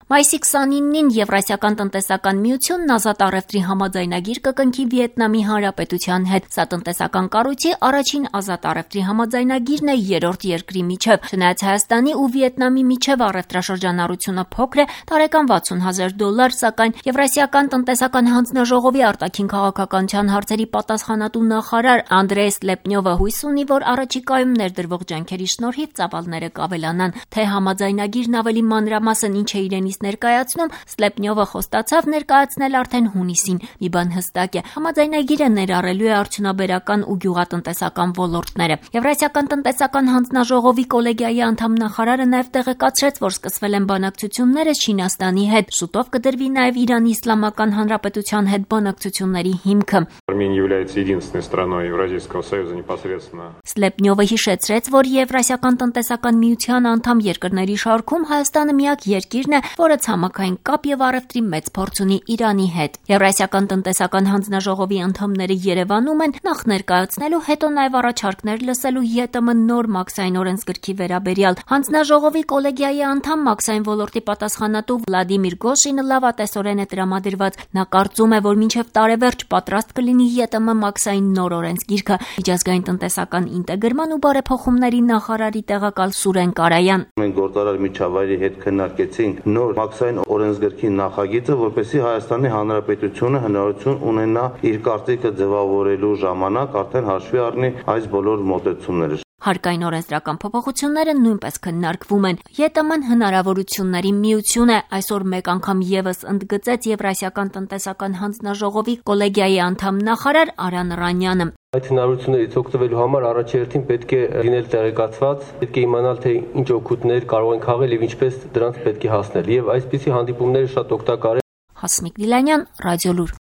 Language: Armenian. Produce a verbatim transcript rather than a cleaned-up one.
Մայիսի քսանինին Եվրասիական տնտեսական միությունն ազատ առևտրի համաձայնագիր կկնքի Վիետնամի Հանրապետության հետ։ Սա տնտեսական կառույցի առաջին ազատ առևտրի համաձայնագիրն է երրորդ երկրի միջև։ Չնայած Հայաստանի ու Վիետնամի միջև առևտրաշրջանառությունը փոքր է, տարեկան վաթսուն հազար դոլար, սակայն Եվրասիական տնտեսական հանձնաժողովի արտաքին քաղաքականության հարցերի պատասխանատու նախարար Անդրեյ Սլեպնյովը հույս ունի, որ առաջիկայում ներդրվող ջանքերի շնորհիվ ծավալները կավելանան։ Թե համաձայնագիրն ավելի մանրամասն ինչ է իրենից ներկայացնում, Սլեպնյովը խոստացավ ներկայացնել արդեն հունիսին։ Մի բան հստակ է, համաձայնագիրը ներառելու է արդյունաբերական ու գյուղատնտեսական ոլորտները։ Եվրասիական տնտեսական հանձնաժողովի կոլեգիայի անդամ նախարարը նաև տեղեկացրեց, որ սկսվել են բանակցությունները Չինաստանի հետ։ Շուտով կդրվի նաև Իրանի Իսլամական Հանրապետության հետ բանակցությունների հիմքը։ Սլեպնյովը հիշեցրեց, որ Եվրասիական տնտեսական միության անդամ երկրների շարքում Հայաստանը միակ երկիրն է, որը ցամաքային կապ եւ առևտրի մեծ փորձ ունի Իրանի հետ։ Եվրասիական տնտեսական հանձնաժողովի անդամները Երևանում են նախ ներկայացնելու, հետո նաև առաջարկներ լսելու ԵՏՄ նոր մաքսային օրենսգրքի վերաբերյալ։ Հանձնաժողովի կոլեգիայի անդամ մաքսային ոլորտի պատասխանատու Վլադիմիր Գոշինը լավատեսորեն է տրամադրված։ Նա կարծում է, որ մինչև տարեվերջ պատրաստ կլինի ԵՏՄ մաքսային նոր օրենսգիրքը։ Միջազգային տնտեսական ինտեգրման ու բարեփոխումների նախարարի տեղակալ Սուրեն Կարայան։ Մենք գործարար միջավայրի հետ քննարկեցինք նոր մաքսային օրենսգրքի նախագիծը, որպեսզի Հայաստանի Հանրապետությունը հնարավորություն ունենա իր կարծիքը ձևավորելու ժամանակ արդեն հաշվի առնի այս բոլոր մոտեցումները։ Հարկային օրենսդրական փոփոխությունները նույնպես քննարկվում են։ ԵՏՄ-ն հնարավորությունների միություն է, այսօր մեկ անգամ եւս ընդգծեց Եվրասիական տնտեսական հանձնաժողովի կոլեգիայի անդամ նախարար Արան Ռանյանը։ Այդ հնարավորություններից օգտվելու համար առաջերտին պետք է լինել տեղեկացված, պետք է իմանալ, թե ինչ օգուտներ կարող են քաղել եւ ինչպես դրանց պետք է հասնել։ Եվ այսպիսի հանդիպումները շատ օգտակար են։ Հասմիկ Դիլանյան, Ռադիոլուր։